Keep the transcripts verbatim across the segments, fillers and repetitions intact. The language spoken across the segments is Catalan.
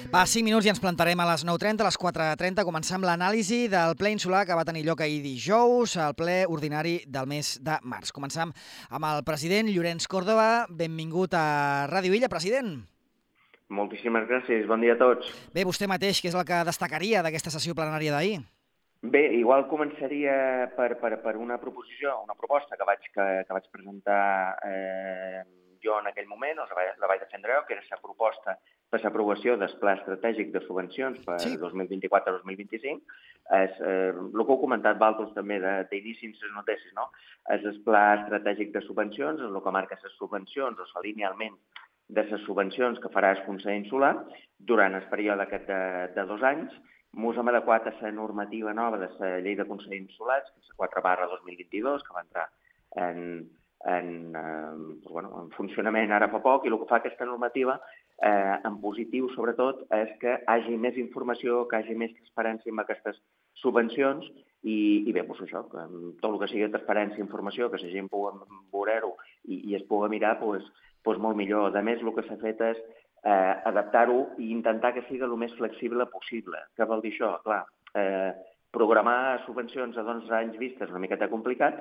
Va, cinc minuts i ens plantarem a les nou trenta, a les quatre trenta. Començar amb l'anàlisi del ple insular que va tenir lloc ahir dijous, el ple ordinari del mes de març. Començam amb el president Llorenç Córdoba. Benvingut a Ràdio Illa, president. Moltíssimes gràcies, bon dia a tots. Bé, vostè mateix, què és el que destacaria d'aquesta sessió plenària d'ahir? Bé, igual començaria per, per, per una proposició, una proposta que vaig, que, que vaig presentar eh, jo en aquell moment, o la, la vaig defendre jo, que era la proposta per l'aprovació del Pla Estratègic de Subvencions per sí. dos mil vint-i-quatre a dos mil vint-i-cinc. És, eh, el que heu comentat vosaltres també d'inici en les notícies, no? És el Pla Estratègic de Subvencions, és el que marca les subvencions o l'alineament de les subvencions que farà el Consell Insular durant el període aquest de, de dos anys. Ens hem adequat a la normativa nova de la Llei de Consells Insulars, que és la quatre barra dos mil vint-i-dos, que va entrar en, en, eh, bueno, en funcionament ara fa poc, i el que fa aquesta normativa, eh, en positiu sobretot, és que hi hagi més informació, que hi hagi més transparència amb aquestes subvencions, i, i bé, doncs això, que tot el que sigui transparència i informació, que la gent pugui veure-ho i, i es pugui mirar, doncs, doncs molt millor. A més, el que s'ha fet és eh, adaptar-ho i intentar que sigui el més flexible possible. Què vol dir això? Clar, eh, programar subvencions a dos anys vista és una miqueta complicat,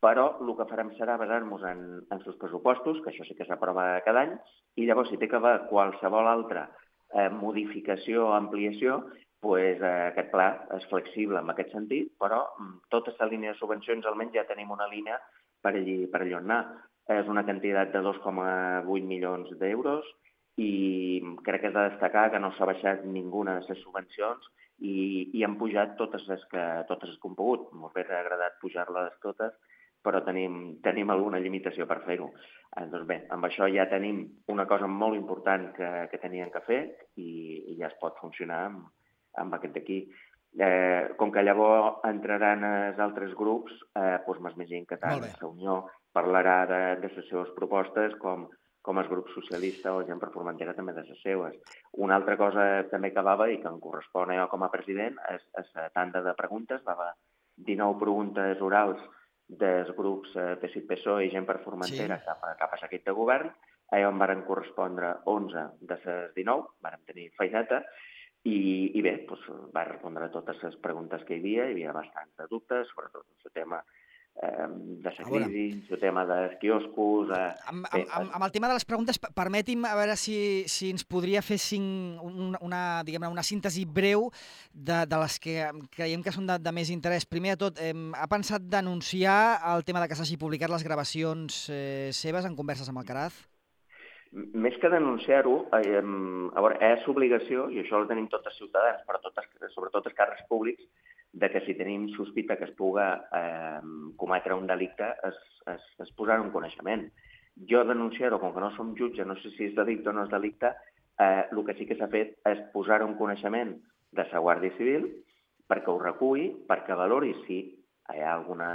però el que farem serà basar-nos en, en els pressupostos, que això sí que s'aprova cada any, i llavors si té que haver qualsevol altra eh, modificació o ampliació, pues, eh, aquest pla és flexible en aquest sentit, però tota aquesta línia de subvencions almenys ja tenim una línia per allí, per allà on anar. És una quantitat de dos coma vuit milions d'euros i crec que és de destacar que no s'ha baixat ninguna de les subvencions i, i han pujat totes les que, totes les que hem pogut. M'ho hauria agradat pujar-les totes, però tenim, tenim alguna limitació per fer-ho. Eh, doncs bé, amb això ja tenim una cosa molt important que, que tenien que fer i, i ja es pot funcionar amb, amb aquest d'aquí. Eh, com que llavors entraran els altres grups, eh, doncs m'imagino que tant la Unió parlarà de, de les seves propostes com, com el grup socialista o gent per Formentera també de les seves. Una altra cosa també que va haver i que em correspon a jo com a president és, és la tanda de preguntes. Va haver dinou preguntes orals dels grups P S I, P S O E i gent per Formentera sí. cap, a, cap a l'equip de govern. A jo em varen correspondre onze de les dinou, vàrem tenir feineta, i, i bé, doncs, va respondre a totes les preguntes que hi havia. Hi havia bastants de dubtes, sobretot el tema eh, de la crisi, el tema dels quioscos... Eh, amb, amb, amb, amb el tema de les preguntes, permeti'm a veure si, si ens podria fer cinc, una, una, diguem-ne, una síntesi breu de, de les que creiem que són de, de més interès. Primer de tot, eh, ha pensat denunciar el tema de que s'hagi publicat les gravacions eh, seves en converses amb Alcaraz? Més que denunciar-ho, eh, a veure, és obligació, i això ho tenim tots els ciutadans, però totes, sobretot els càrrecs públics, de que si tenim sospita que es puga eh, cometre un delicte, es, es, es posar un coneixement. Jo denunciar-ho, com que no som jutge, no sé si és delicte o no és delicte, eh, el que sí que s'ha fet és posar un coneixement de la Guàrdia Civil perquè ho reculli, perquè valori si hi ha alguna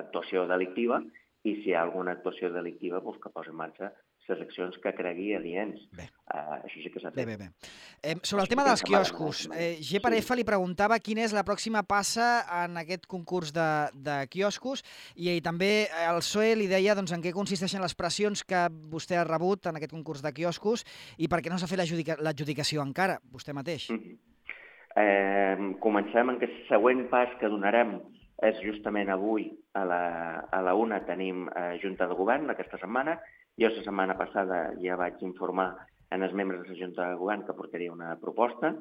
actuació delictiva i si hi ha alguna actuació delictiva doncs, que posi en marxa les accions que cregui adients. Uh, això sí que s'ha fet. Bé, bé, bé. Eh, sobre el tema dels quioscos, eh, G per F li preguntava quina és la pròxima passa en aquest concurs de, de quioscos i, i també el P S O E li deia doncs, en què consisteixen les pressions que vostè ha rebut en aquest concurs de quioscos i per què no s'ha fet l'adjudicació encara, vostè mateix. Mm-hmm. eh, comencem en que el següent pas que donarem és justament avui a la, a la una tenim eh, Junta de Govern aquesta setmana. Jo la setmana passada ja vaig informar en els membres de la Junta de Govern que portaria una proposta.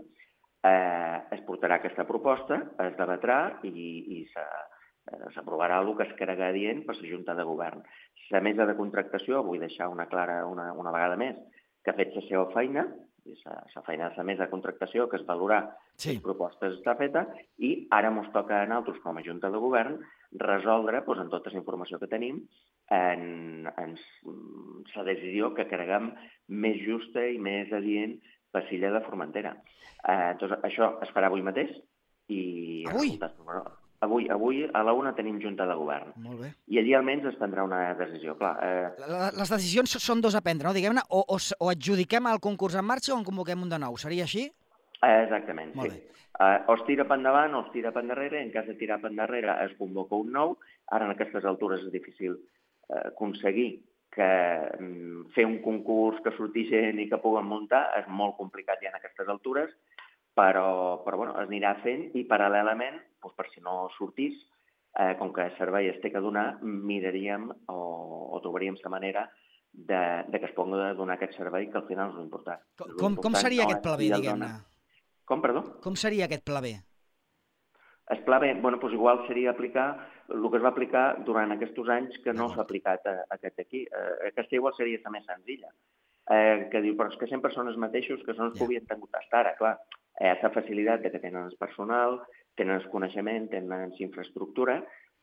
Eh, es portarà aquesta proposta, es debatrà i, i s'aprovarà el que es crega adient per la Junta de Govern. La mesa de contractació, vull deixar una clara una, una vegada més, que ha fet la seva feina, la feina de la mesa de contractació, que és valorar sí. les propostes està feta, i ara ens toca a nosaltres, com a Junta de Govern, resoldre, doncs, en tota la informació que tenim, en, en la decisió que creguem més justa i més adient per l'illa de Formentera. Eh, doncs això es farà avui mateix. I avui? Avui, avui a la una tenim Junta de Govern. Molt bé. I allí almenys es prendrà una decisió. Clar, eh... Les decisions són dos a prendre, no? Diguem-ne, o, o, o adjudiquem el concurs en marxa o en convoquem un de nou. Seria així? Eh, exactament, Molt sí. Bé. Uh, o es tira per endavant o es tira per endarrere. En cas de tirar per endarrere es convoca un nou. Ara en aquestes altures és difícil uh, aconseguir que fer un concurs que surti gent i que puguen muntar és molt complicat ja en aquestes altures, però, però bueno, es anirà fent i paral·lelament, doncs per si no sortís, eh, com que el servei es té que donar, miraríem o, o trobaríem la manera de, de que es pugui donar aquest servei, que al final és l'important. Com, com seria aquest pla B, diguem-ne? Com, perdó? Com seria aquest pla B? El pla B, bueno, doncs igual seria aplicar el que es va aplicar durant aquests anys que no s'ha aplicat a, a aquest aquí. Eh, aquesta igual seria la més senzilla. Eh, que diu, però és que sempre són els mateixos que són els que havien tingut fins ara, clar. Eh, la facilitat de que tenen el personal, tenen el coneixement, tenen la infraestructura,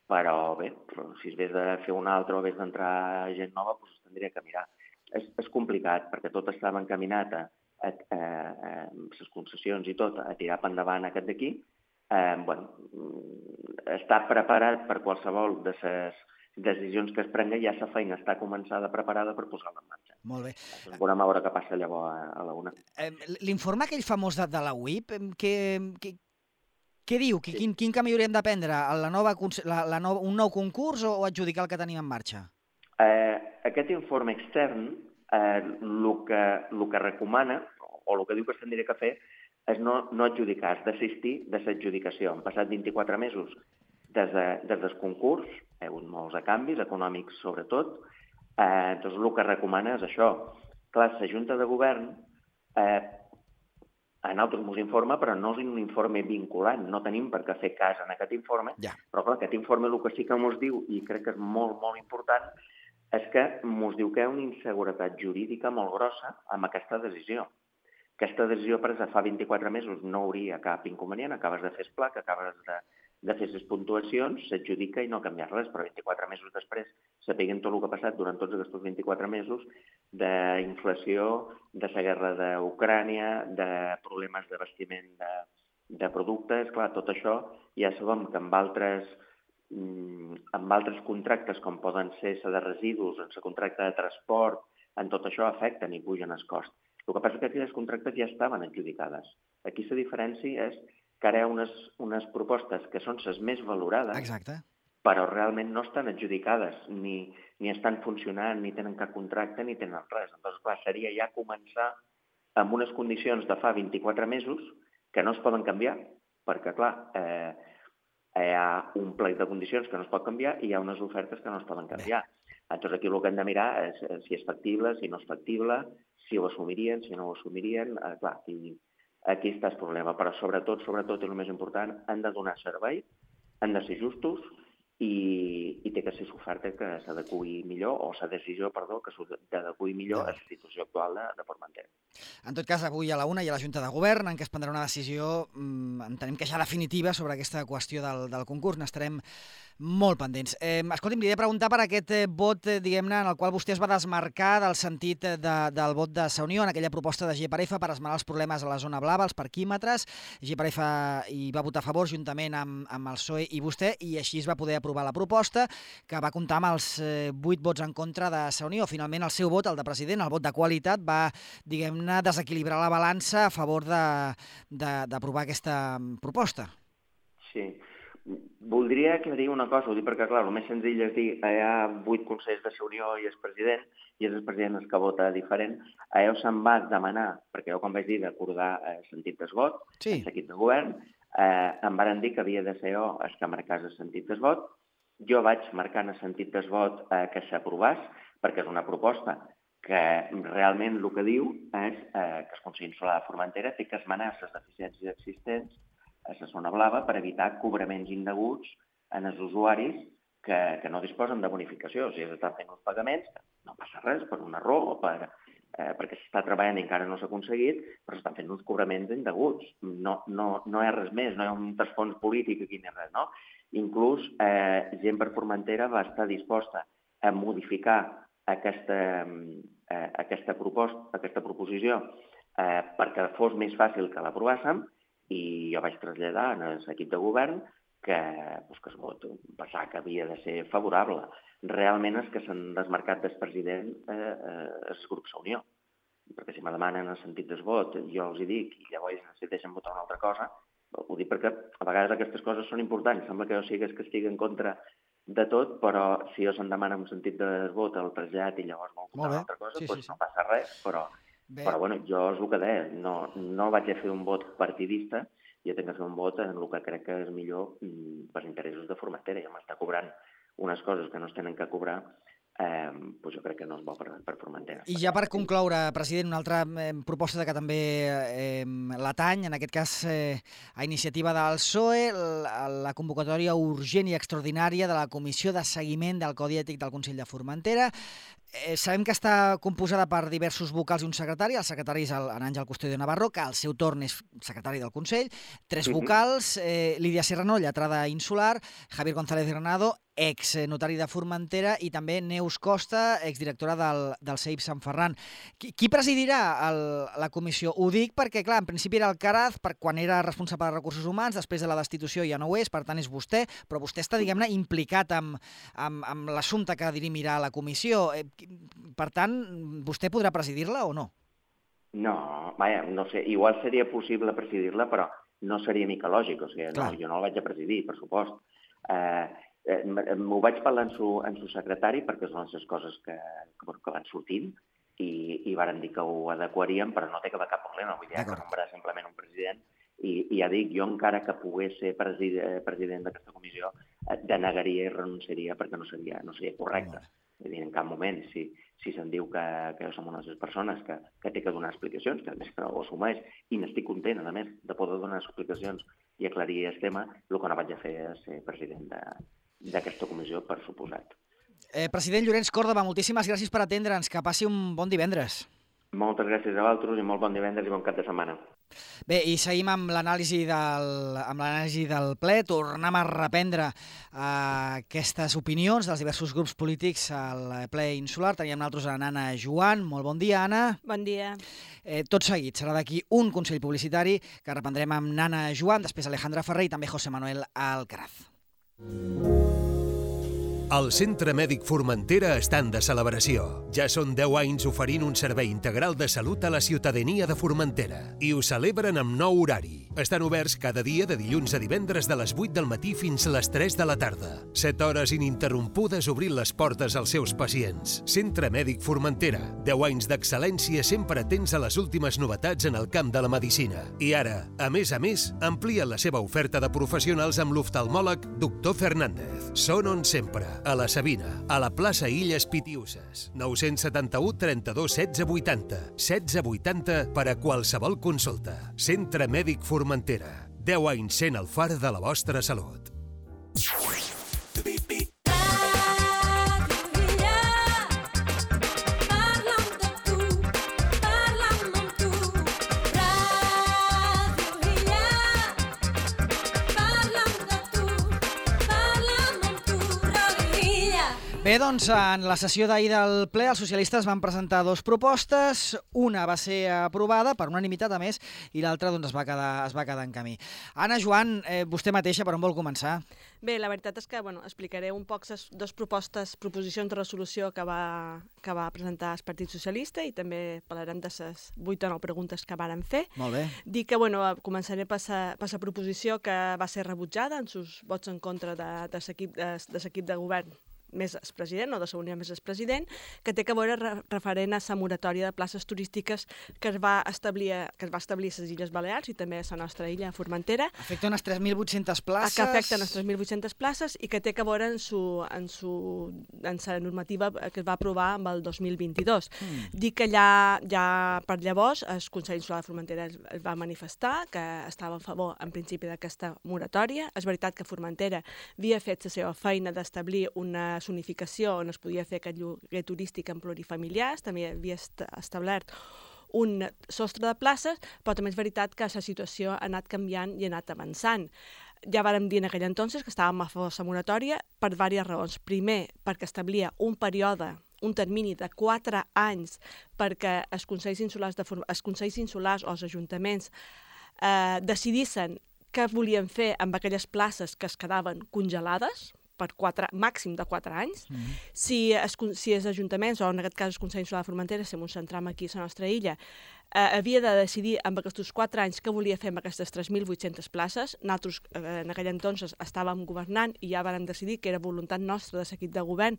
però bé, però si es vés de fer un altre o vés d'entrar gent nova, doncs es tindria que mirar. És, és complicat, perquè tot estava encaminat a, a, a, a, a les concessions i tot, a tirar per endavant aquest d'aquí. Eh, bueno, està preparat per qualsevol de les decisions que es prengui, ja la feina està començada, preparada per posar-la en marxa. Molt bé. Doncs veurem a veure què passa llavors a, a la una. Eh, L'informe aquell famós de, de la U I P, què, què, què diu? Sí. Quin, quin camí hauríem de prendre? La nova, la, la nova, un nou concurs o, o adjudicar el que tenim en marxa? Eh, aquest informe extern, eh, el que, el que recomana, o el que diu que s'hauria que fer, és no, no adjudicar, és desistir de l'adjudicació. Han passat vint-i-quatre mesos des, de, des del concurs, hi ha hagut molts de canvis, econòmics sobretot, eh, doncs el que recomana és això. Clar, la Junta de Govern eh, a nosaltres ens informa, però no és un informe vinculant, no tenim per què fer cas en aquest informe, ja. Però clar, aquest informe el que sí que ens diu, i crec que és molt, molt important, és que ens diu que hi ha una inseguretat jurídica molt grossa amb aquesta decisió. Aquesta decisió presa fa vint-i-quatre mesos no hauria cap inconvenient, acabes de fer el pla, que acabes de, de fer les puntuacions, s'adjudica i no canvia res, però vint-i-quatre mesos després sapiguem tot el que ha passat durant tots aquests vint-i-quatre mesos d'inflació, de la guerra d'Ucrània, de problemes d'abastiment de, de productes, clar, tot això ja sabem que amb altres, amb altres contractes com poden ser la de residus, en la contracte de transport, en tot això afecten i pugen els costs. El que passa és que aquelles contractes ja estaven adjudicades. Aquí la diferència és que ara hi ha unes, unes propostes que són les més valorades, Exacte. Però realment no estan adjudicades, ni, ni estan funcionant, ni tenen cap contracte, ni tenen res. Llavors, clar, seria ja començar amb unes condicions de fa vint-i-quatre mesos que no es poden canviar, perquè, clar, eh, hi ha un plec de condicions que no es pot canviar i hi ha unes ofertes que no es poden canviar. Llavors, aquí el que hem de mirar és si és factible, si no és factible, si ho assumirien, si no ho assumirien, eh, clar, aquí, aquí està el problema. Però sobretot, sobretot, i el més important, han de donar servei, han de ser justos i, i té que ser l'oferta que s'adequi millor, o la decisió, perdó, que s'adequi millor a la situació actual de, de Formentera. En tot cas, avui a la una hi ha la Junta de Govern en què es prendrà una decisió, mmm, entenem que ja definitiva, sobre aquesta qüestió del, del concurs. N'estarem molt pendents. Eh, escolti'm, li he de preguntar per aquest eh, vot, eh, diguem-ne, en el qual vostè es va desmarcar del sentit de, del vot de Sa Unió en aquella proposta de G per F per esmenar els problemes a la zona blava, els parquímetres. G per F hi va votar a favor juntament amb, amb el P S O E i vostè, i així es va poder aprovar la proposta, que va comptar amb els eh, vuit vots en contra de Sa Unió. Finalment, el seu vot, el de president, el vot de qualitat, va, diguem-ne, desequilibrar la balança a favor d'aprovar aquesta proposta. Sí. Voldria aclarir una cosa, ho dic perquè, clar, el més senzill és dir hi ha vuit consells de Sa Unió i el president, i és el president el que vota diferent. Allò se'n va demanar, perquè jo quan vaig dir d'acordar el sentit del vot, sí. el seguit de govern, eh, em van dir que havia de ser jo el que marcés el sentit del vot. Jo vaig marcar en el sentit del vot eh, que s'aprovàs, perquè és una proposta que realment el que diu és eh, que el Consell Insular de Formentera té que esmenar les deficiències existents a la zona blava per evitar cobraments indeguts en els usuaris que, que no disposen de bonificació. O sigui, s'estan fent uns pagaments, no passa res, per un error o per, eh, perquè s'està treballant i encara no s'ha aconseguit, però s'estan fent uns cobraments indeguts. No, no, no hi ha res més, no hi ha un trasfons polític aquí ni res, no? Inclús eh, Gent per Formentera va estar disposta a modificar aquesta, eh, aquesta, proposta, aquesta proposició eh, perquè fos més fàcil que l'aprovassem, i jo vaig traslladar en l'equip de govern que, doncs, que es vot passar que havia de ser favorable. Realment és que s'han desmarcat del president eh, eh, el grup Sa Unió, perquè si me demanen el sentit del vot, jo els hi dic, i llavors si deixen votar una altra cosa, ho dic perquè a vegades aquestes coses són importants. Sembla que jo sigui que estigui en contra de tot, però si jo se'm demana un sentit de vot el trasllat i llavors vol votar una altra cosa, sí, doncs sí, sí. no passa res, però, però bueno, jo és el que deia, no, no vaig a fer un vot partidista, jo tinc que fer un vot en el que crec que és millor per interessos de Formentera, i m'està cobrant unes coses que no es tenen que cobrar, eh, doncs jo crec que no és bo per, per Formentera. I ja per concloure, president, una altra eh, proposta que també eh, l'atany, en aquest cas eh, a iniciativa del P S O E, la, la convocatòria urgent i extraordinària de la Comissió de Seguiment del Codi Ètic del Consell de Formentera. Eh, sabem que està composada per diversos vocals i un secretari. El secretari és el, en Àngel Custodio Navarro, que al seu torn és secretari del Consell. Tres Mhm. vocals, eh, Lídia Serrano, lletrada insular, Javier González Granado, ex notari de Formentera, i també Neus Costa, exdirectora del, del C E I P Sant Ferran. Qui, qui presidirà el, la comissió? Ho dic perquè, clar, en principi era el Caraz, per quan era responsable de recursos humans, després de la destitució ja no ho és, per tant és vostè, però vostè està, diguem-ne, implicat amb, amb, amb l'assumpte que dirimirà la comissió. Eh, per tant, vostè podrà presidir-la o no? No, vaja, no sé, igual seria possible presidir-la, però no seria micològic, o sigui, no, jo no la vaig a presidir, per supost. Eh, eh, M'ho vaig parlar en su, en su secretari, perquè són les coses que, que, que van sortint, i, i varen dir que ho adequaríem, però no té que haver cap problema, vull dir, que nombrar simplement un president, i, i ja dic, jo encara que pogués ser president, president d'aquesta comissió, eh, denegaria i renunciaria perquè no seria, no seria correcte. És dir, en cap moment, si, si se'n diu que, que som unes persones que, que té que donar explicacions, que a més que ho assumeix, i n'estic content, a més, de poder donar explicacions i aclarir el tema, el que no vaig a fer és ser president d'aquesta comissió, per suposat. Eh, president Llorenç Còrdova, moltíssimes gràcies per atendre'ns. Que passi un bon divendres. Moltes gràcies a vosaltres i molt bon divendres i bon cap de setmana. Bé, i seguim amb l'anàlisi del, amb l'anàlisi del ple. Tornem a reprendre eh, aquestes opinions dels diversos grups polítics al ple insular. Teníem nosaltres a Anna Joan. Molt bon dia, Anna. Bon dia. Eh, tot seguit, serà d'aquí un consell publicitari que reprendrem amb Nana Joan, després Alejandra Ferrer i també José Manuel Alcaraz. El Centre Mèdic Formentera estan de celebració. Ja són deu anys oferint un servei integral de salut a la ciutadania de Formentera. I ho celebren amb nou horari. Estan oberts cada dia de dilluns a divendres de les vuit del matí fins a les tres de la tarda. set hores ininterrompudes obrint les portes als seus pacients. Centre Mèdic Formentera. deu anys d'excel·lència sempre atents a les últimes novetats en el camp de la medicina. I ara, a més a més, amplien la seva oferta de professionals amb l'oftalmòleg doctor Fernández. Són on sempre. A la Sabina, a la plaça Illes Pitiuses. nou setanta-u trenta-dos setze vuitanta. setze vuitanta per a qualsevol consulta. Centre Mèdic Formentera. deu anys sent el far de la vostra salut. Bé, doncs, en la sessió d'ahir del ple, els socialistes van presentar dues propostes. Una va ser aprovada per unanimitat, a més, i l'altra doncs, es, va quedar, es va quedar en camí. Anna Joan, eh, vostè mateixa, per on vol començar? Bé, la veritat és que bueno, explicaré un poc les dues propostes, proposicions de resolució que va, que va presentar el Partit Socialista i també parlarem de les vuit o nou preguntes que varen fer. Molt bé. Dic que bueno, començaré per la proposició que va ser rebutjada en sus vots en contra de, de l'equip de, de, de govern més el president, o de la Unió més el president, que té que veure re referent a la moratòria de places turístiques que es va establir, que es va establir a les Illes Balears i també a la nostra illa, Formentera. Afecta unes tres mil vuit-centes places. Que afecta unes tres mil vuit-centes places i que té que veure en su, en su, en la normativa que es va aprovar amb el dos mil vint-i-dos. Mm. Dic que ja, ja per llavors el Consell Insular de Formentera es, es va manifestar que estava a favor en principi d'aquesta moratòria. És veritat que Formentera havia fet la seva feina d'establir una zonificació on es podia fer aquest lloguer turístic en plurifamiliars, també havia establert un sostre de places, però també és veritat que la situació ha anat canviant i ha anat avançant. Ja vàrem dir en aquell entonces que estàvem a favor de la moratòria per diverses raons. Primer, perquè establia un període, un termini de quatre anys perquè els consells insulars, de, els consells insulars o els ajuntaments eh, decidissin què volien fer amb aquelles places que es quedaven congelades, per quatre, màxim de quatre anys. Mm-hmm. Si, es, si els ajuntaments, o en aquest cas el Consell Insular de Formentera, si ens centram aquí a la nostra illa, eh, havia de decidir amb aquests quatre anys què volia fer amb aquestes tres mil vuit-centes places. Nosaltres eh, en aquell entonces estàvem governant i ja vam decidir que era voluntat nostra de l'equip de govern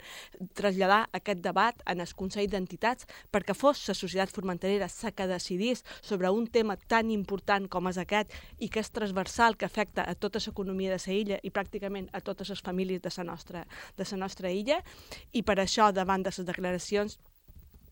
traslladar aquest debat en el Consell d'Entitats perquè fos la societat formenterera la que decidís sobre un tema tan important com és aquest i que és transversal, que afecta a tota l'economia de la illa i pràcticament a totes les famílies de la nostra, de la nostra illa, i per això, davant de les declaracions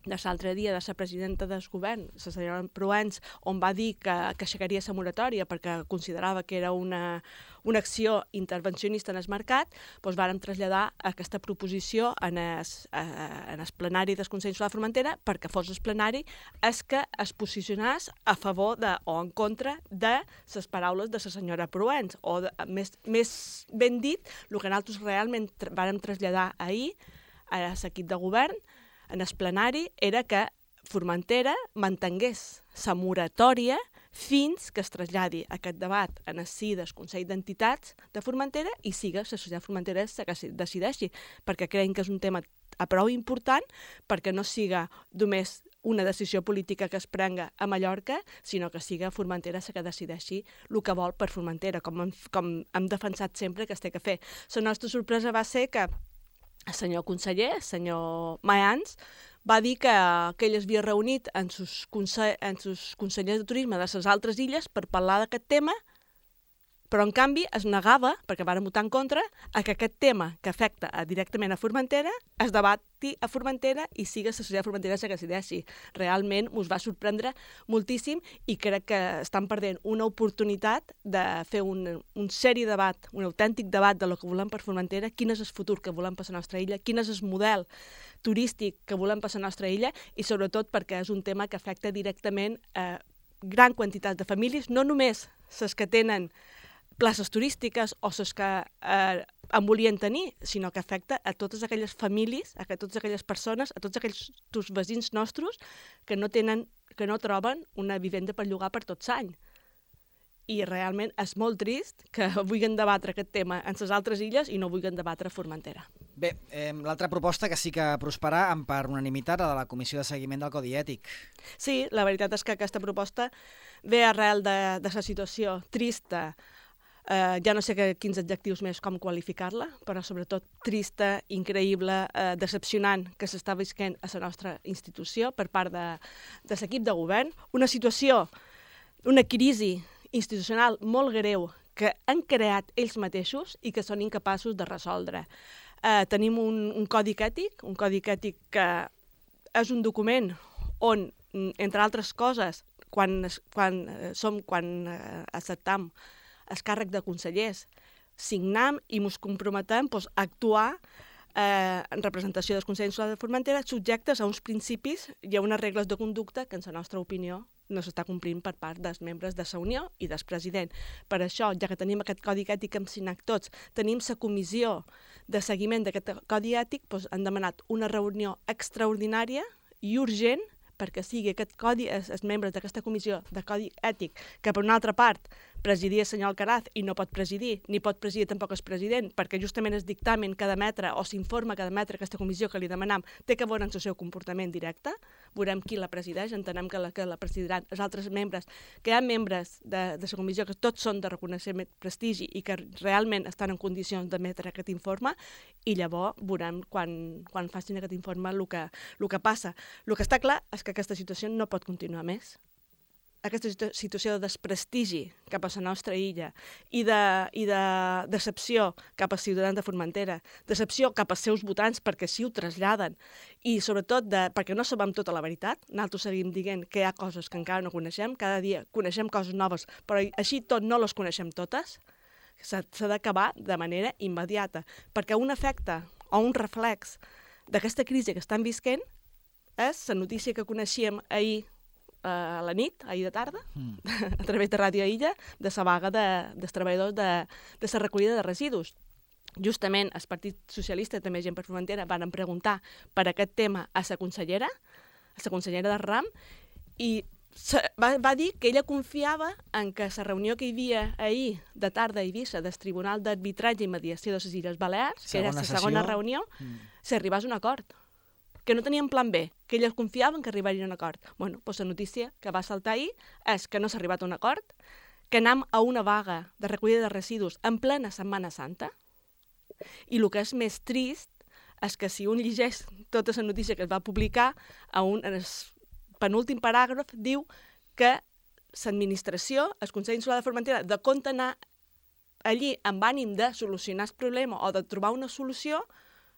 de l'altre dia de la presidenta del govern, la senyora Proens, on va dir que, que aixecaria la moratòria perquè considerava que era una, una acció intervencionista en el mercat, doncs vàrem traslladar aquesta proposició en el, en el plenari del Consell Insular de Formentera perquè fos el plenari és que es posicionés a favor de, o en contra de les paraules de la senyora Proens, o de, més, més ben dit, el que nosaltres realment tra vàrem traslladar ahir a l'equip de govern en el plenari era que Formentera mantengués la moratòria fins que es traslladi aquest debat en el si del Consell d'Entitats de Formentera i siga la societat formentera la que decideixi, perquè creiem que és un tema a prou important perquè no siga només una decisió política que es prenga a Mallorca, sinó que siga Formentera la que decideixi el que vol per Formentera, com hem, com hem defensat sempre que es té que fer. La nostra sorpresa va ser que el senyor conseller, el senyor Mayans, va dir que, que ell es havia reunit amb els conse consellers de turisme de les altres illes per parlar d'aquest tema, però en canvi es negava, perquè van votar en contra, a que aquest tema que afecta directament a Formentera es debati a Formentera i siga la societat formentera la que decideixi. Realment us va sorprendre moltíssim i crec que estan perdent una oportunitat de fer un, un seri debat, un autèntic debat de lo que volem per Formentera, quin és el futur que volem per la nostra illa, quin és el model turístic que volem per la nostra illa i sobretot perquè és un tema que afecta directament a gran quantitat de famílies, no només les que tenen places turístiques o les que eh, en volien tenir, sinó que afecta a totes aquelles famílies, a totes aquelles persones, a tots aquells tus veïns nostres que no tenen, que no troben una vivenda per llogar per tot l'any. I realment és molt trist que vulguin debatre aquest tema en les altres illes i no vulguin debatre a Formentera. Bé, eh, l'altra proposta que sí que prosperà per unanimitat, la de la Comissió de Seguiment del Codi Ètic. Sí, la veritat és que aquesta proposta ve arrel de, de la situació trista. Uh, ja no sé que, quins adjectius més com qualificar-la, però sobretot trista, increïble, uh, decepcionant que s'està visquent a la nostra institució per part de, de l'equip de govern. Una situació, una crisi institucional molt greu que han creat ells mateixos i que són incapaços de resoldre. Uh, tenim un, un codi ètic, un codi ètic que és un document on, entre altres coses, quan, quan, uh, som, quan uh, acceptam el càrrec de consellers, signam i ens comprometem doncs, a actuar eh, en representació del Consell Insular de Formentera subjectes a uns principis i a unes regles de conducta que, en la nostra opinió, no s'està complint per part dels membres de la Unió i del president. Per això, ja que tenim aquest codi ètic que hem signat tots, tenim la comissió de seguiment d'aquest codi ètic, doncs, han demanat una reunió extraordinària i urgent perquè sigui aquest codi, els, els membres d'aquesta comissió de codi ètic, que per una altra part presidia el senyor Alcaraz i no pot presidir, ni pot presidir tampoc el president, perquè justament el dictamen que ha d'emetre o s'informa que ha d'emetre aquesta comissió que li demanam té que veure en el seu comportament directe, veurem qui la presideix, entenem que la, que la presidiran els altres membres, que hi ha membres de, de la comissió que tots són de reconeixement prestigi i que realment estan en condicions d'emetre aquest informe, i llavors veurem quan, quan facin aquest informe el que, el que passa. El que està clar és que aquesta situació no pot continuar més. Aquesta situació de desprestigi cap a la nostra illa i de, i de decepció cap als ciutadans de Formentera, decepció cap als seus votants perquè sí ho traslladen i sobretot de, perquè no sabem tota la veritat. Nosaltres seguim dient que hi ha coses que encara no coneixem, cada dia coneixem coses noves, però així tot no les coneixem totes. S'ha d'acabar de manera immediata, perquè un efecte o un reflex d'aquesta crisi que estan visquent és la notícia que coneixíem ahir a la nit, ahir de tarda, mm. a través de Ràdio Illa, de la vaga de, dels treballadors de, de la recollida de residus. Justament el Partit Socialista, també Gent per Formentera, van preguntar per aquest tema a la consellera, a la consellera de RAM, i va, va dir que ella confiava en que la reunió que hi havia ahir de tarda a Eivissa del Tribunal d'Arbitratge i Mediació de les Illes Balears, segona que era la segona reunió, mm. s'arribés a un acord. que no tenien plan B, que ells confiaven que arribarien a un acord. Bueno, doncs la notícia que va saltar ahir és que no s'ha arribat a un acord, que anem a una vaga de recollida de residus en plena Setmana Santa, i el que és més trist és que si un llegeix tota la notícia que es va publicar, a un, en el penúltim paràgraf diu que l'administració, el Consell Insular de Formentera, de compte anar allí amb ànim de solucionar el problema o de trobar una solució,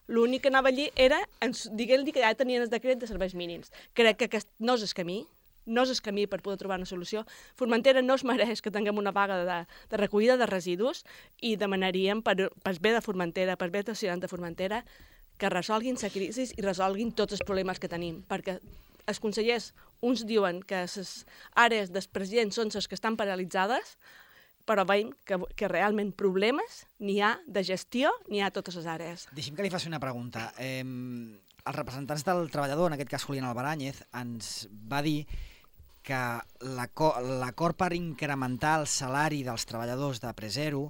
l'únic que anava allí era dient-li que ja tenien el decret de serveis mínims. Crec que aquest no és el camí, no és el camí per poder trobar una solució. Formentera no es mereix que tinguem una vaga de, de recollida de residus i demanaríem per, per bé de Formentera, per bé dels ciutadans de Formentera, que resolguin la crisi i resolguin tots els problemes que tenim, perquè els consellers, uns diuen que les àrees dels presidents són les que estan paralitzades, però veiem que, que realment problemes n'hi ha de gestió, n'hi ha a totes les àrees. Deixi'm que li faci una pregunta. Eh, els representants del treballador, en aquest cas Julián Albaràñez, ens va dir que l'acord per incrementar el salari dels treballadors de Presero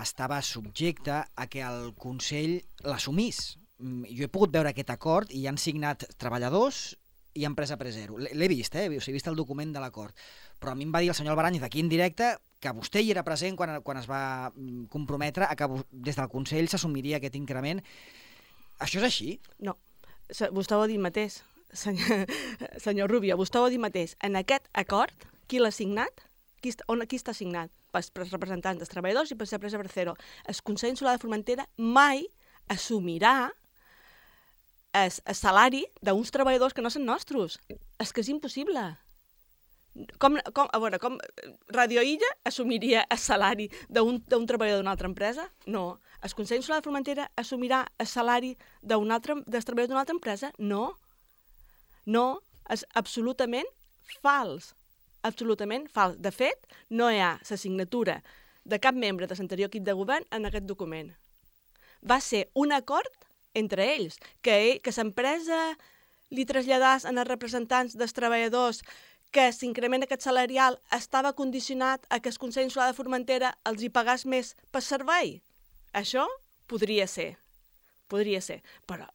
estava subjecte a que el Consell l'assumís. Jo he pogut veure aquest acord i han signat treballadors i empresa Presero. L'he vist, eh? He vist el document de l'acord. Però a mi em va dir el senyor Albaràñez aquí en directe que vostè hi era present quan, quan es va comprometre a que des del Consell s'assumiria aquest increment. Això és així? No. Vostè ho ha dit mateix, senyor, senyor Rubio, vostè ho ha dit mateix. En aquest acord, qui l'ha signat? Qui, on, qui està signat? Pels representants dels treballadors i per l'empresa Presero. El Consell Insular de Formentera mai assumirà el, el salari d'uns treballadors que no són nostres. És que és impossible. Com, com, a veure, com Radio Illa assumiria el salari d'un treballador d'una altra empresa? No. El Consell Insular de Formentera assumirà el salari d'un altre, dels treballadors d'una altra empresa? No. No, és absolutament fals. Absolutament fals. De fet, no hi ha la signatura de cap membre de l'anterior equip de govern en aquest document. Va ser un acord entre ells, que, que l'empresa li traslladàs als representants dels treballadors que l'increment aquest salarial estava condicionat a que el Consell Insular de Formentera els hi pagàs més per servei. Això podria ser, podria ser, però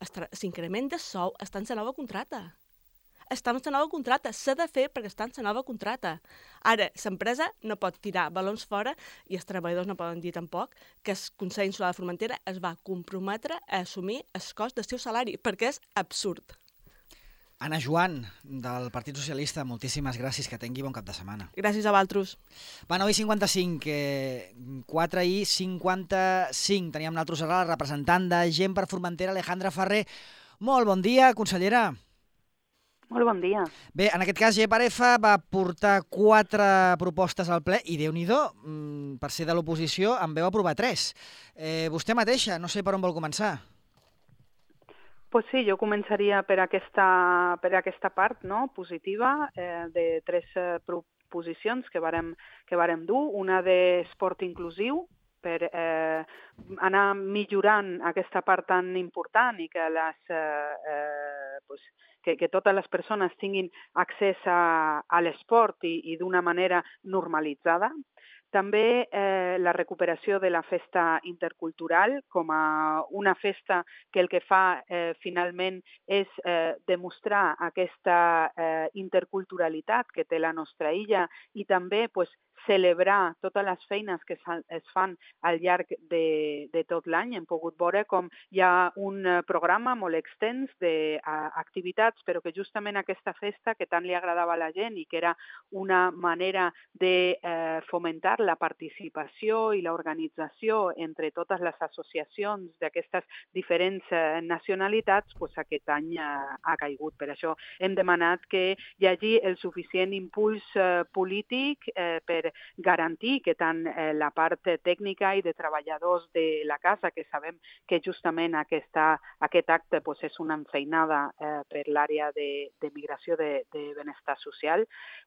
l'increment de sou està en la nova contracta. Està en la nova contracta, s'ha de fer perquè està en la nova contracta. Ara, l'empresa no pot tirar balons fora i els treballadors no poden dir tampoc que el Consell Insular de Formentera es va comprometre a assumir el cost del seu salari, perquè és absurd. Anna Joan, del Partit Socialista, moltíssimes gràcies, que tingui bon cap de setmana. Gràcies a vosaltres. Va, nou i cinquanta-cinc, eh, quatre i cinquanta-cinc. Teníem nosaltres ara la representant de Gent per Formentera, Alejandra Ferrer. Molt bon dia, consellera. Molt bon dia. Bé, en aquest cas, G per F va portar quatre propostes al ple i, Déu-n'hi-do, per ser de l'oposició, en veu aprovar tres. Eh, vostè mateixa, no sé per on vol començar. Pues sí, jo començaria per aquesta, per aquesta part, no?, positiva, eh, de tres eh, proposicions que vàrem, que vàrem dur. Una d'esport inclusiu, per eh, anar millorant aquesta part tan important i que, les, eh, eh, pues, que, que totes les persones tinguin accés a, a l'esport i, i d'una manera normalitzada. També eh, la recuperació de la festa intercultural com a una festa que el que fa eh, finalment és eh, demostrar aquesta eh, interculturalitat que té la nostra illa i també pues, celebrar totes les feines que es fan al llarg de, de tot l'any. Hem pogut veure com hi ha un programa molt extens d'activitats, però que justament aquesta festa que tant li agradava a la gent i que era una manera de eh, fomentar la participació i l'organització entre totes les associacions d'aquestes diferents eh, nacionalitats, pues aquest any eh, ha caigut. Per això hem demanat que hi hagi el suficient impuls eh, polític eh, per garantir que tant eh, la part tècnica i de treballadors de la casa, que sabem que justament aquesta, aquest acte pues, és una enfeinada eh, per l'àrea de, de migració de, de benestar social,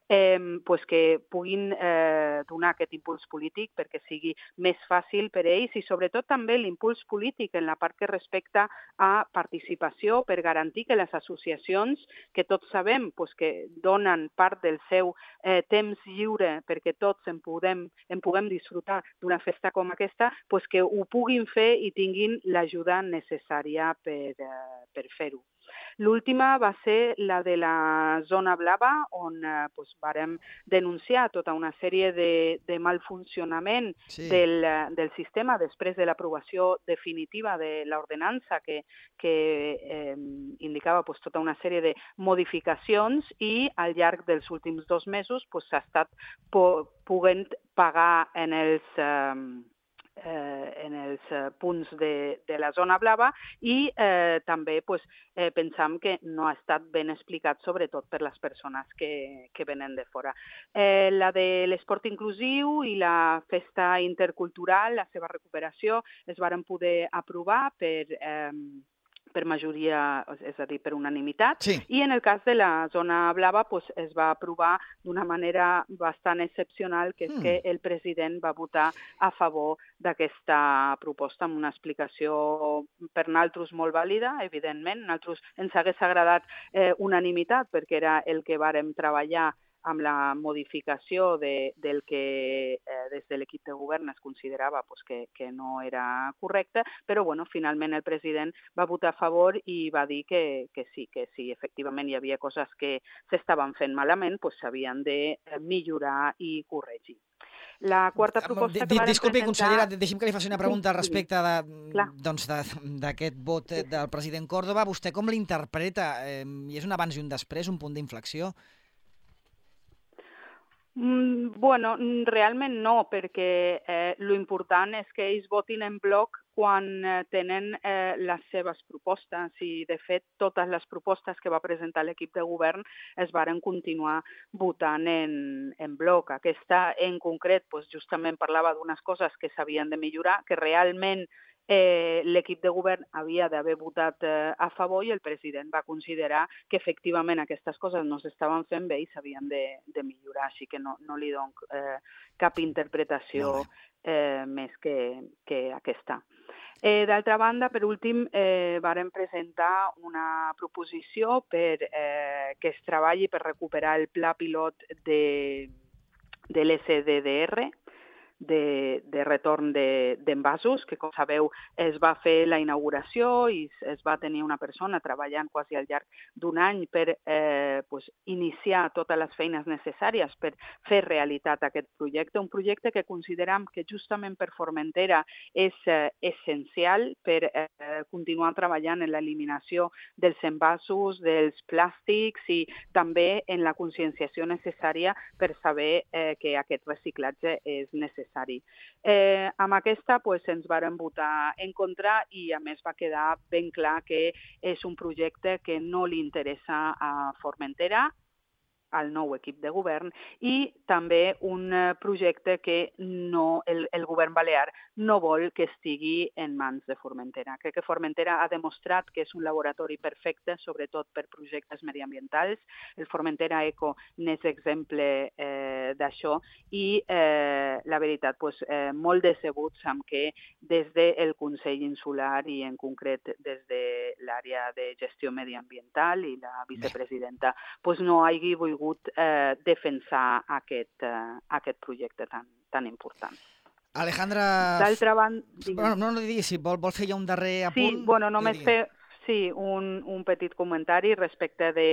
eh, pues que puguin eh, donar aquest impuls polític perquè sigui més fàcil per ells i sobretot també l'impuls polític en la part que respecta a participació per garantir que les associacions, que tots sabem pues, que donen part del seu eh, temps lliure perquè tots en puguem, en puguem disfrutar d'una festa com aquesta, pues que ho puguin fer i tinguin l'ajuda necessària per, eh, per fer-ho. L'última va ser la de la zona blava, on eh, pues, vàrem denunciar tota una sèrie de, de malfuncionament Sí. del, del sistema després de l'aprovació definitiva de l'ordenança que, que eh, indicava pues, tota una sèrie de modificacions i al llarg dels últims dos mesos pues, s'ha estat po podent pagar en els, eh, eh, en els eh, punts de, de la zona blava i eh, també pues, eh, pensam que no ha estat ben explicat, sobretot per les persones que, que venen de fora. Eh, la de l'esport inclusiu i la festa intercultural, la seva recuperació, es varen poder aprovar per... Eh, per majoria, és a dir, per unanimitat, Sí. i en el cas de la zona blava pues, es va aprovar d'una manera bastant excepcional, que és Mm. que el president va votar a favor d'aquesta proposta amb una explicació per nosaltres molt vàlida, evidentment. A nosaltres ens hagués agradat eh, unanimitat, perquè era el que vàrem treballar amb la modificació de, del que eh, des de l'equip de govern es considerava pues, que, que no era correcte, però bueno, finalment el president va votar a favor i va dir que, que sí, que si efectivament hi havia coses que s'estaven fent malament, pues, s'havien de millorar i corregir. La quarta proposta que vàrem Disculpi, presentar... consellera, deixi'm que li faci una pregunta Sí, al respecte de, clar. doncs, d'aquest vot Sí, sí. del president Córdoba. Vostè com l'interpreta? Eh, hi és un abans i un després, un punt d'inflexió? Mm, bueno, mm, realment no, perquè eh, l'important és que ells votin en bloc quan eh, tenen eh, les seves propostes i, de fet, totes les propostes que va presentar l'equip de govern es varen continuar votant en, en bloc. Aquesta, en concret, pues, justament parlava d'unes coses que s'havien de millorar, que realment eh, l'equip de govern havia d'haver votat eh, a favor i el president va considerar que efectivament aquestes coses no s'estaven fent bé i s'havien de, de millorar, així que no, no li dono eh, cap interpretació eh, més que, que aquesta. Eh, D'altra banda, per últim, eh, vàrem presentar una proposició per eh, que es treballi per recuperar el pla pilot de, de l'S D D R, de, de retorn d'envasos, que com sabeu es va fer la inauguració i es va tenir una persona treballant quasi al llarg d'un any per eh, pues, iniciar totes les feines necessàries per fer realitat aquest projecte, un projecte que considerem que justament per Formentera és eh, essencial per eh, continuar treballant en l'eliminació dels envasos, dels plàstics i també en la conscienciació necessària per saber eh, que aquest reciclatge és necessari. Eh, amb aquesta pues, ens varen votar en contra i a més va quedar ben clar que és un projecte que no li interessa a Formentera, al nou equip de govern, i també un projecte que no, el, el govern balear no vol que estigui en mans de Formentera. Crec que Formentera ha demostrat que és un laboratori perfecte, sobretot per projectes mediambientals. El Formentera Eco n'és exemple eh, d'això i eh, la veritat, pues, eh, molt decebuts amb que des del Consell Insular i en concret des de l'àrea de gestió mediambiental i la vicepresidenta pues, no hagi volgut Eh, defensar aquest, eh, aquest projecte tan, tan important. Alejandra... D'altra banda... Bueno, no, no digui, si vol, vol fer ja un darrer apunt... Sí, bueno, només fer sí, un, un petit comentari respecte de,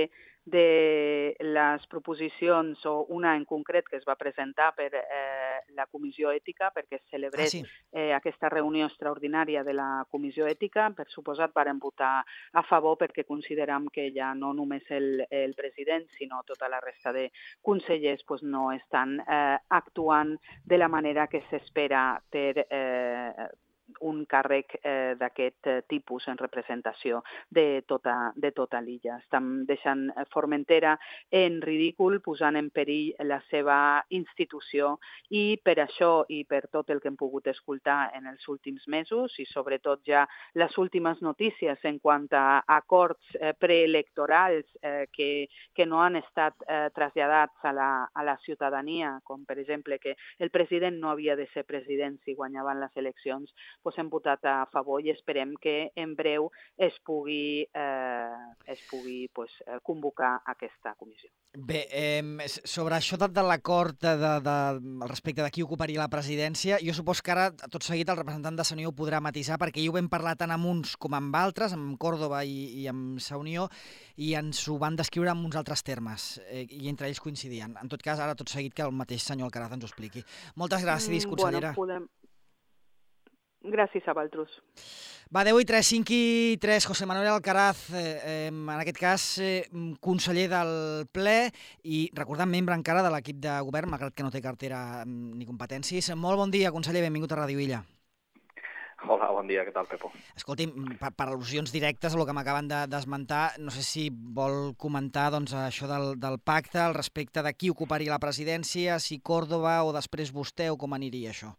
de les proposicions, o una en concret que es va presentar per eh, la Comissió Ètica, perquè es celebrés ah, sí. eh, aquesta reunió extraordinària de la Comissió Ètica. Per suposat, varen votar a favor perquè consideram que ja no només el, el president, sinó tota la resta de consellers pues, no estan eh, actuant de la manera que s'espera per eh, un càrrec eh, d'aquest eh, tipus en representació de tota, de tota l'illa. Estan deixant Formentera en ridícul, posant en perill la seva institució i per això i per tot el que hem pogut escoltar en els últims mesos i sobretot ja les últimes notícies en quant a acords eh, preelectorals eh, que, que no han estat eh, traslladats a la, a la ciutadania, com per exemple que el president no havia de ser president si guanyaven les eleccions, doncs hem votat a favor i esperem que en breu es pugui, eh, es pugui doncs, convocar aquesta comissió. Bé, eh, sobre això de, de l'acord de, de, de, respecte de qui ocuparia la presidència, jo supos que ara, tot seguit, el representant de Unió ho podrà matisar, perquè ja ho vam parlar tant amb uns com amb altres, amb Córdoba i, i amb Sa Unió, i ens ho van descriure en uns altres termes, eh, i entre ells coincidien. En tot cas, ara tot seguit que el mateix senyor Alcaraz ens ho expliqui. Moltes gràcies, consellera. Bueno, podem... Gràcies a vosaltres. Va, deu i tres, cinc i tres, José Manuel Alcaraz, eh, eh, en aquest cas eh, conseller del ple i, recordant, membre encara de l'equip de govern, malgrat que no té cartera ni competències. Molt bon dia, conseller, benvingut a Ràdio Illa. Hola, bon dia, què tal, Pepo? Escolti'm, per, per al·lusions directes a el que m'acaben d'esmentar, no sé si vol comentar doncs, això del, del pacte, al respecte de qui ocuparia la presidència, si Córdoba o després vostè, o com aniria això?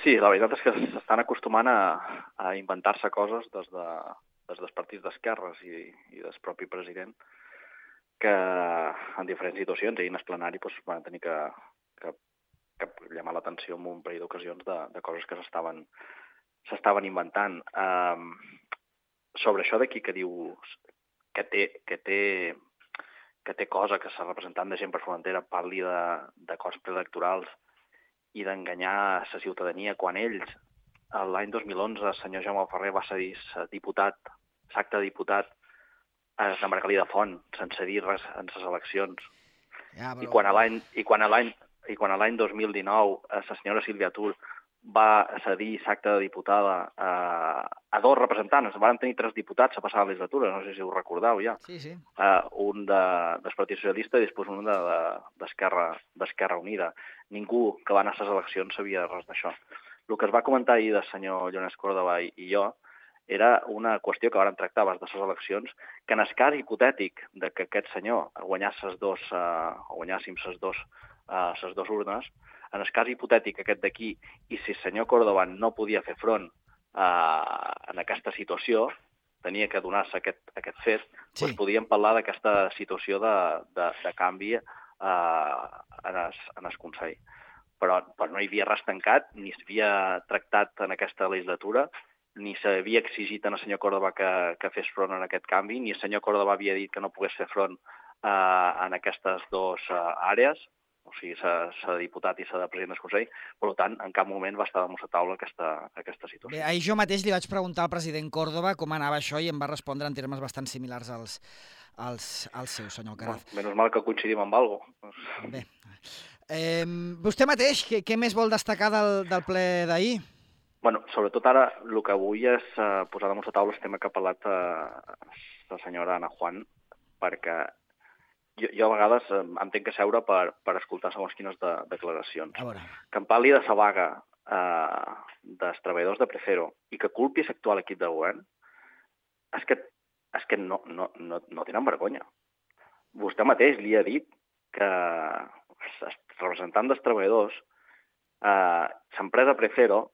Sí, la veritat és que s'estan acostumant a, a inventar-se coses des, de, des dels partits d'esquerres i, i del propi president que en diferents situacions, ahir en el plenari doncs, van tenir que, que, que llamar l'atenció en un parell d'ocasions de, de coses que s'estaven s'estaven inventant. Um, sobre això d'aquí que diu que té, que té, que té cosa que el representant de Gent per Formentera parli de, de coses preelectorals i d'enganyar la ciutadania quan ells, l'any dos mil onze, el senyor Jaume Ferrer va cedir diputat, l'acte de diputat a la Margalí de Font, sense dir res en les eleccions. Ja, però... I quan a l'any i quan a l'any i quan a l'any dos mil dinou la senyora Sílvia Tur va cedir l'acte de diputada a, a dos representants, van tenir tres diputats a passar la legislatura, no sé si ho recordeu ja. Sí, sí. Uh, un de, del Partit Socialista i després un de, d'Esquerra d'Esquerra Unida. Ningú que va anar a les eleccions sabia res d'això. El que es va comentar ahir del senyor Llones Córdoba i, i jo era una qüestió que vàrem tractar abans de les eleccions, que en el cas hipotètic de que aquest senyor guanyés les dos, uh, o guanyàssim les dos, uh, les dos urnes, en el cas hipotètic aquest d'aquí, i si el senyor Córdoba no podia fer front uh, en aquesta situació, tenia que donar-se aquest, aquest fet, sí. Doncs podíem parlar d'aquesta situació de, de, de canvi uh, en, el, en el Consell. Però, però no hi havia res tancat, ni s'havia tractat en aquesta legislatura, ni s'havia exigit al senyor Córdoba que, que fes front en aquest canvi, ni el senyor Córdoba havia dit que no pogués fer front uh, en aquestes dues uh, àrees, o sigui, s'ha de diputat i s'ha de president del Consell, per tant, en cap moment va estar damunt la taula aquesta, aquesta situació. Bé, ahir jo mateix li vaig preguntar al president Córdoba com anava això i em va respondre en termes bastant similars als, als, als seus, senyor Alcaraz. Bueno, menys mal que coincidim amb alguna cosa. Bé. Eh, vostè mateix, què, què més vol destacar del, del ple d'ahir? Bueno, sobretot ara el que vull és uh, posar damunt la taula el tema que ha parlat uh, la senyora Ana Juan, perquè Jo, jo a vegades eh, em tenc que seure per, per escoltar segons quines de, declaracions. Que em parli de la vaga eh, dels treballadors de Prefero i que culpi l'actual equip de govern, és que, és que no, no, no, no tenen vergonya. Vostè mateix li ha dit que els representants dels treballadors, eh, l'empresa Prefero,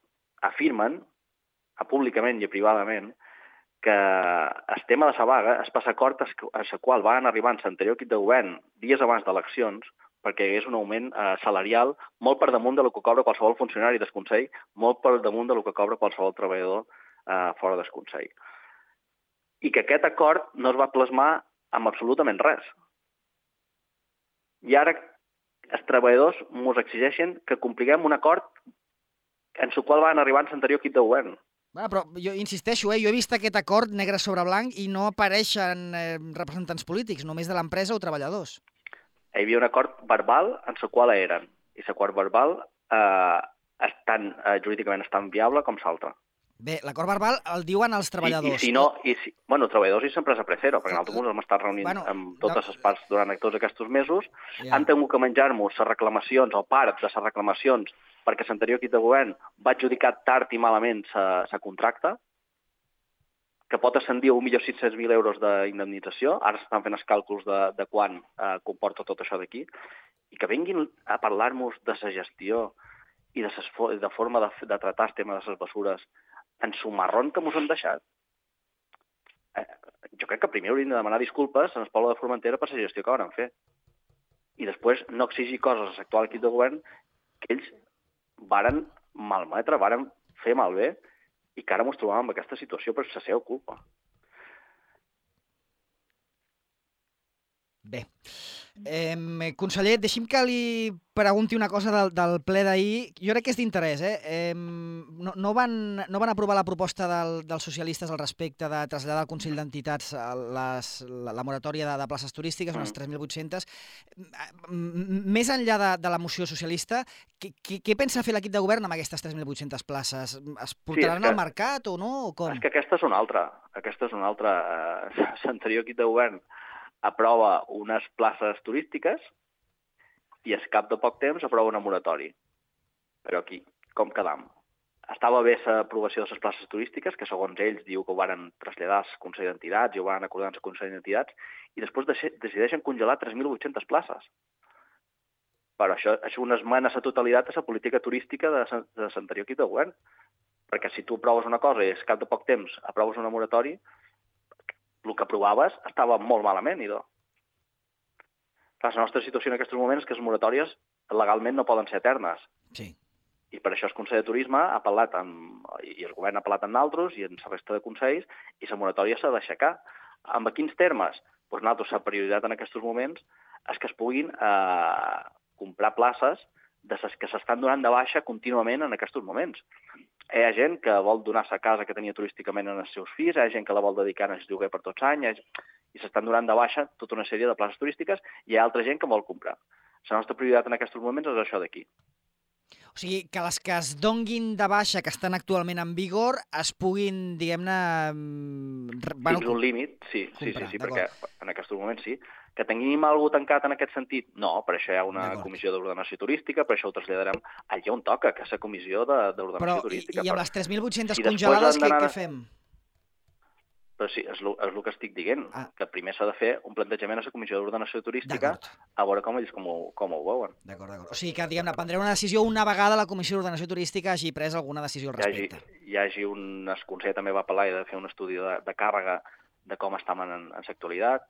afirmen, a públicament i privadament, que el tema de la vaga és per l'acord a la qual van arribar en l'anterior equip de govern dies abans d'eleccions perquè hi hagués un augment eh, salarial molt per damunt del que cobra qualsevol funcionari del Consell, molt per damunt del que cobra qualsevol treballador eh, fora del Consell. I que aquest acord no es va plasmar amb absolutament res. I ara els treballadors ens exigeixen que compliguem un acord en el qual van arribar en l'anterior equip de govern. Ah, però jo insisteixo, eh? jo he vist aquest acord negre sobre blanc i no apareixen eh, representants polítics, només de l'empresa o treballadors. Hi havia un acord verbal en el qual eren, i l'acord verbal eh, és tan, eh, jurídicament és tan viable com l'altre. Bé, l'acord verbal el diuen els treballadors. I, i si no, i si, bueno, treballadors i l'empresa Prefero, perquè nosaltres hem estat reunint bueno, amb totes no... les parts durant tots aquests mesos, ja. Han tingut que menjar-nos les reclamacions o part de les reclamacions perquè l'anterior equip de govern va adjudicar tard i malament la contracta, que pot ascendir a un milió sis-cents mil euros d'indemnització, ara s'estan fent els càlculs de, de quan eh, comporta tot això d'aquí, i que vinguin a parlar-nos de la gestió i de, ses, de forma de, de tratar el tema de les bessures en su marrón que mos han deixat. Eh, jo crec que primer hauríem de demanar disculpes en el poble de Formentera per la gestió que van fer. I després no exigir coses a l'actual equip de govern que ells varen malmetre, varen fer malbé i que ara ens trobàvem en aquesta situació per la seva culpa. Bé. Eh, conseller, deixi'm que li pregunti una cosa del, del ple d'ahir. Jo crec que és d'interès. Eh? Eh, no, no, van, no van aprovar la proposta del, dels socialistes al respecte de traslladar al Consell d'Entitats les, la, la moratòria de, de places turístiques, unes tres mil vuit-centes. Més enllà de, de la moció socialista, què, què, què pensa fer l'equip de govern amb aquestes tres mil vuit-centes places? Es portaran sí, que, al mercat o no? O com? És que aquesta és una altra. Aquesta és una altra. Eh, l'anterior equip de govern aprova unes places turístiques i al cap de poc temps aprova una moratòria. Però aquí, com quedam? Estava bé l'aprovació de les places turístiques, que segons ells diu que ho van traslladar al Consell d'Entitats i ho van acordar al Consell d'Entitats, i després decideixen congelar tres mil vuit-centes places. Però això és una esmena a la totalitat a la política turística de l'anterior equip de govern. Perquè si tu aproves una cosa i al cap de poc temps aproves una moratòria, el que aprovaves estava molt malament, idò. La nostra situació en aquests moments és que les moratòries legalment no poden ser eternes. Sí. I per això el Consell de Turisme ha apel·lat, amb, i el govern ha apel·lat en altres i en la resta de consells, i la moratòria s'ha d'aixecar. Amb quins termes? Doncs nosaltres, la prioritat en aquests moments és que es puguin eh, comprar places de les que s'estan donant de baixa contínuament en aquests moments. Hi ha gent que vol donar la casa que tenia turísticament en els seus fills, hi ha gent que la vol dedicar al lloguer per tots anys, i s'estan donant de baixa tota una sèrie de places turístiques, i hi ha altra gent que vol comprar. La nostra prioritat en aquests moments és això d'aquí. O sigui, que les que es donguin de baixa, que estan actualment en vigor, es puguin, diguem-ne... Bueno, fins un límit, sí, sí, sí, sí, perquè en aquests moments sí. Que tinguem alguna cosa tancat en aquest sentit? No, per això hi ha una comissió d'ordenació turística, per això ho traslladarem allà on toca, que és la comissió d'ordenació turística. Però i amb les tres mil vuit-centes congelades, què fem? Però sí, és el que estic dient, que primer s'ha de fer un plantejament a la comissió d'ordenació turística a veure com ells com ho veuen. D'acord, d'acord. O sigui que, diguem-ne, prendrem una decisió una vegada la comissió d'ordenació turística hagi pres alguna decisió al respecte. Hi hagi un... El Consell també va apel·lar i de fer un estudi de càrrega de com estàvem en l'actualitat,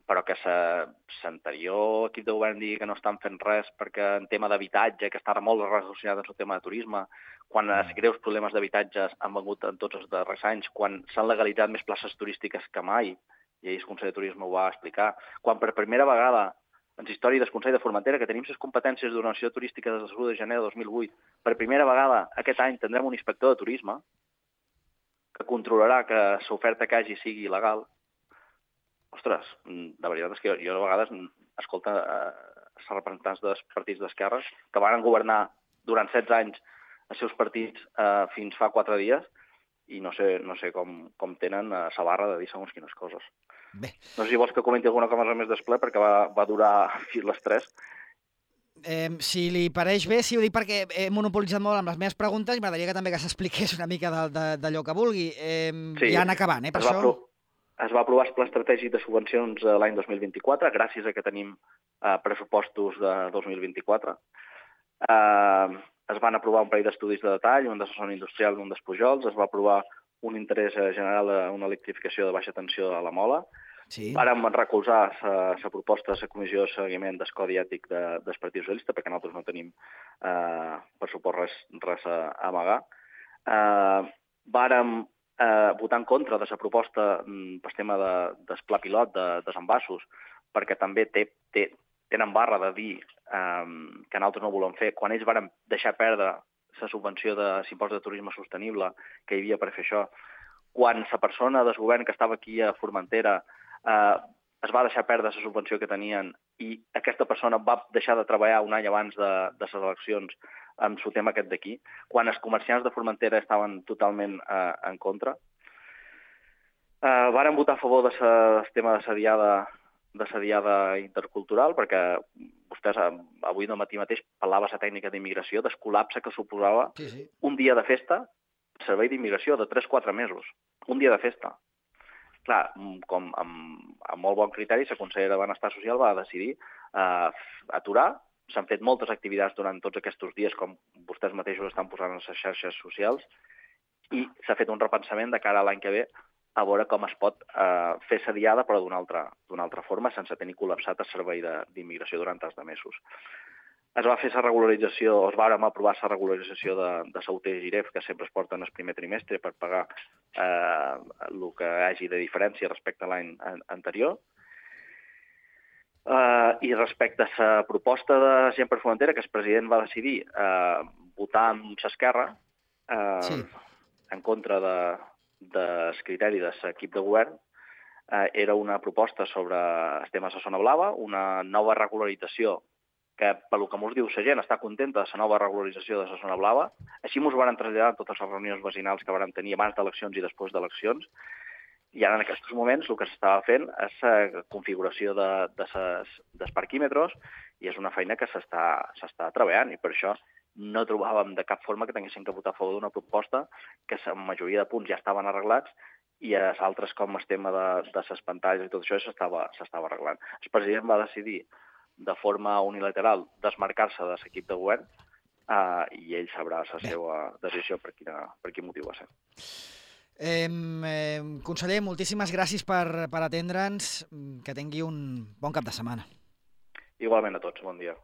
però que l'anterior equip de govern digui que no estan fent res perquè en tema d'habitatge, que està molt relacionat amb el tema de turisme, quan els greus problemes d'habitatges han vengut en tots els darrers anys, quan s'han legalitzat més places turístiques que mai, i ahir el Consell de Turisme ho va explicar, quan per primera vegada en la història del Consell de Formentera, que tenim les competències d'ordenació turística des del l'u de gener de dos mil vuit, per primera vegada aquest any tindrem un inspector de turisme que controlarà que l'oferta que hagi sigui legal. Ostres, de veritat és que jo a vegades escolto els representants dels partits d'esquerres que van governar durant setze anys els seus partits eh, fins fa quatre dies i no sé, no sé com, com tenen la barra de dir segons quines coses. Bé. No sé si vols que comenti alguna cosa més del ple perquè va, va durar fins les tres. Eh, si li pareix bé, sí, ho dic perquè he monopolitzat molt amb les meves preguntes i m'agradaria que també que s'expliqués una mica d'allò que vulgui. Eh, sí, ja anar acabant, eh, per això... Pro... Es va aprovar el Pla Estratègic de Subvencions l'any dos mil vint-i-quatre, gràcies a que tenim eh, pressupostos de dos mil vint-i-quatre. Eh, es van aprovar un parell d'estudis de detall, un de la zona industrial i un dels Pujols. Es va aprovar un interès general a una electrificació de baixa tensió a la Mola. Sí. Vàrem recolzar la proposta de la Comissió de Seguiment del Codi Ètic de, del Partit Socialista, perquè nosaltres no tenim eh, per suport res, res a, a amagar. Eh, vàrem eh, votar en contra de la proposta pel tema de, del pla pilot de desenvasos, perquè també té, té, tenen barra de dir eh, que nosaltres no volem fer. Quan ells varen deixar perdre la subvenció de l'impost de turisme sostenible que hi havia per fer això, quan la persona del govern que estava aquí a Formentera eh, es va deixar perdre la subvenció que tenien i aquesta persona va deixar de treballar un any abans de, de les eleccions amb el tema aquest d'aquí, quan els comerciants de Formentera estaven totalment eh, en contra. Eh, varen votar a favor del tema de la diada, de la diada intercultural, perquè vostès avui de matí mateix parlava la tècnica d'immigració, del col·lapse que suposava sí, sí. un dia de festa, servei d'immigració de tres a quatre mesos, un dia de festa. Clar, com amb, amb molt bon criteri, la consellera de Benestar Social va decidir eh, aturar. S'han fet moltes activitats durant tots aquests dies, com vostès mateixos estan posant en les xarxes socials, i s'ha fet un repensament de cara a l'any que ve a veure com es pot eh, fer la diada, però d'una altra, d'una altra forma, sense tenir col·lapsat el servei d'immigració durant tants de mesos. es va fer la regularització, es va aprovar la regularització de, de Sauter i Giref, que sempre es porten el primer trimestre per pagar eh, el que hi hagi de diferència respecte a l'any anterior. Uh, I respecte a la proposta de Gent per Formentera, que el president va decidir uh, votar amb l'Esquerra uh, sí. en contra de, del criteri de l'equip de govern, uh, era una proposta sobre els temes de zona blava, una nova regularització que, pel que mos diu la gent, està contenta de la nova regularització de la zona blava. Així mos van traslladar totes les reunions vecinals que vam tenir abans d'eleccions i després d'eleccions. I ara, en aquests moments, el que s'estava fent és la configuració de, de ses, dels parquímetres i és una feina que s'està treballant i per això no trobàvem de cap forma que tinguessin que votar a favor d'una proposta que la majoria de punts ja estaven arreglats i els altres, com el tema de, de les pantalles i tot això, s'estava arreglant. El president va decidir de forma unilateral desmarcar-se de l'equip de govern eh, i ell sabrà la seva decisió per, quina, per quin motiu va ser. Eh, eh, conseller, moltíssimes gràcies per, per atendre'ns. Que tingui un bon cap de setmana. Igualment a tots, bon dia.